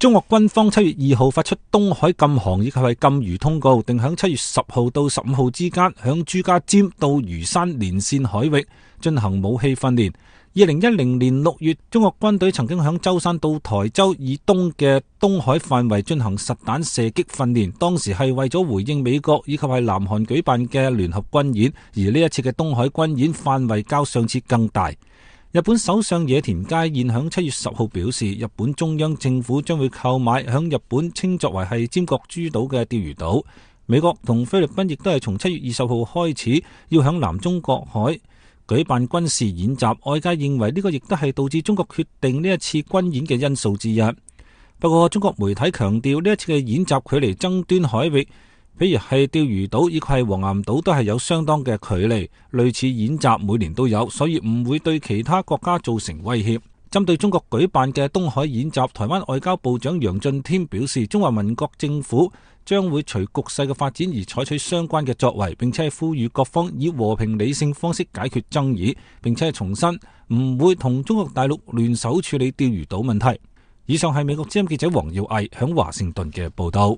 中國軍方7月2號發出東海禁航以及係禁漁通告，定喺7月10號到15號之間，響朱家尖到魚山連線海域進行武器訓練。2010年6月，中國軍隊曾經響舟山到台州以東嘅東海範圍進行實彈射擊訓練，當時係為咗回應美國以及係南韓舉辦嘅聯合軍演，而呢一次嘅東海軍演範圍較上次更大。日本首相野田佳彥響7月10號表示，日本中央政府將會購買響日本稱作為係尖閣諸島嘅釣魚島。美國同菲律賓亦都係從7月20號開始要響南中國海舉辦軍事演習，外界認為呢個亦都係導致中國決定呢一次軍演嘅因素之一。不過中國媒體強調，呢一次嘅演習距離爭端海域，譬如係釣魚島以及係黃岩島都係有相當嘅距離，類似演習每年都有，所以唔會對其他國家造成威脅。針對中國舉辦嘅東海演習，台灣外交部長楊俊添表示，中華民國政府將會隨局勢嘅發展而採取相關嘅作為，並且係呼籲各方以和平理性方式解決爭議，並且係重申唔會同中國大陸聯手處理釣魚島問題。以上係美國之音記者黃耀毅響華盛頓嘅報道。